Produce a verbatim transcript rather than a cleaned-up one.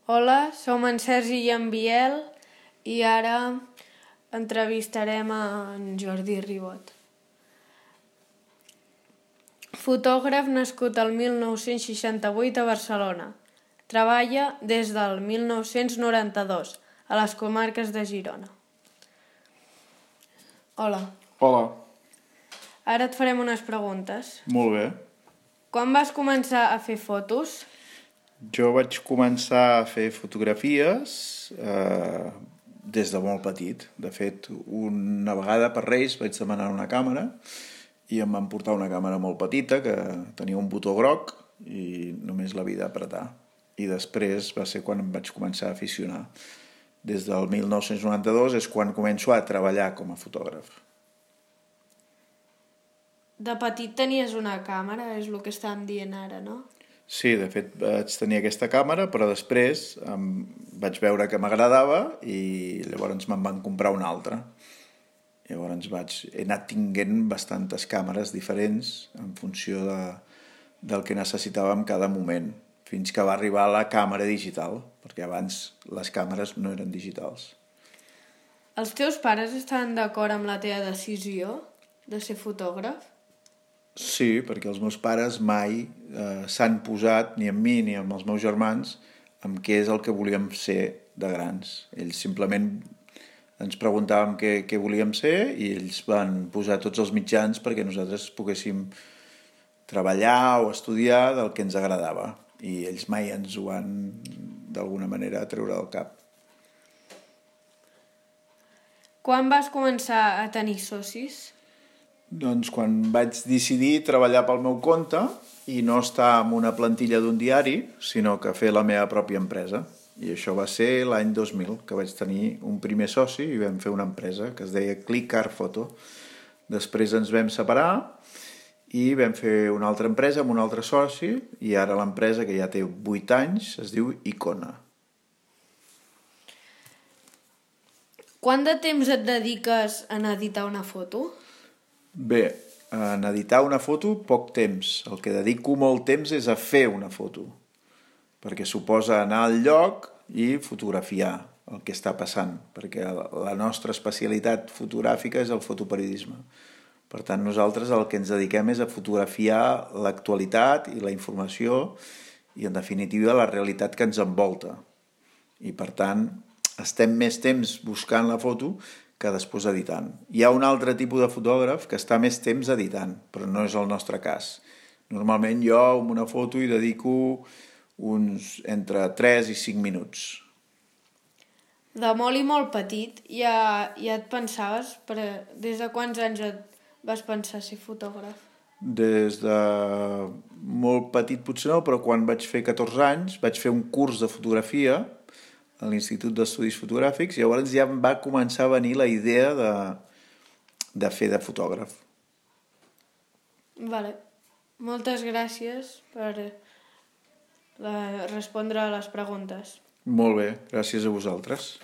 Hola, som en Sergi i en Biel i ara entrevistarem en Jordi Ribot. Fotògraf nascut el mil nou-cents seixanta-vuit a Barcelona. Treballa des del mil nou-cents noranta-dos a les comarques de Girona. Hola. Hola. Ara et farem unes preguntes. Molt bé. Quan vas començar a fer fotos? Jo vaig començar a fer fotografies eh, des de molt petit. De fet, una vegada per Reis vaig demanar una càmera i em van portar una càmera molt petita que tenia un botó groc i només l'havia d'apretar. I després va ser quan em vaig començar a aficionar. Des del mil nou-cents noranta-dos és quan començo a treballar com a fotògraf. De petit tenies una càmera, és el que estàvem dient ara, no? Sí, de fet vaig tenir aquesta càmera, però després em vaig veure que m'agradava i llavors me'n van comprar una altra. Llavors vaig, he anat tinguent bastantes càmeres diferents en funció de, del que necessitava en cada moment, fins que va arribar la càmera digital, perquè abans les càmeres no eren digitals. Els teus pares estaven d'acord amb la teva decisió de ser fotògraf? Sí, perquè els meus pares mai eh, s'han posat, ni amb mi ni amb els meus germans, amb què és el que volíem ser de grans. Ells simplement ens preguntàvem què, què volíem ser i ells van posar tots els mitjans perquè nosaltres poguéssim treballar o estudiar del que ens agradava. I ells mai ens ho van, d'alguna manera, treure del cap. Quan vas començar a tenir socis? Doncs quan vaig decidir treballar pel meu compte i no estar en una plantilla d'un diari, sinó que fer la meva pròpia empresa. I això va ser l'any dos mil, que vaig tenir un primer soci i vam fer una empresa que es deia Click Art Photo. Després ens vam separar i vam fer una altra empresa amb un altre soci i ara l'empresa, que ja té vuit anys, es diu Icona. Quant de temps et dediques a editar una foto? Bé, en editar una foto, poc temps. El que dedico molt temps és a fer una foto, perquè suposa anar al lloc i fotografiar el que està passant, perquè la nostra especialitat fotogràfica és el fotoperiodisme. Per tant, nosaltres el que ens dediquem és a fotografiar l'actualitat i la informació i, en definitiva, la realitat que ens envolta. I, per tant, estem més temps buscant la foto que després editant. Hi ha un altre tipus de fotògraf que està més temps editant, però no és el nostre cas. Normalment jo amb una foto hi dedico uns entre tres i cinc minuts. De molt i molt petit ja, ja et pensaves, per, des de quants anys et vas pensar ser fotògraf? Des de molt petit potser no, però quan vaig fer catorze anys vaig fer un curs de fotografia a l'Institut d'Estudis Fotogràfics i llavors ja em va començar a venir la idea de, de fer de fotògraf. Vale. Moltes gràcies per la, respondre a les preguntes. Molt bé, gràcies a vosaltres.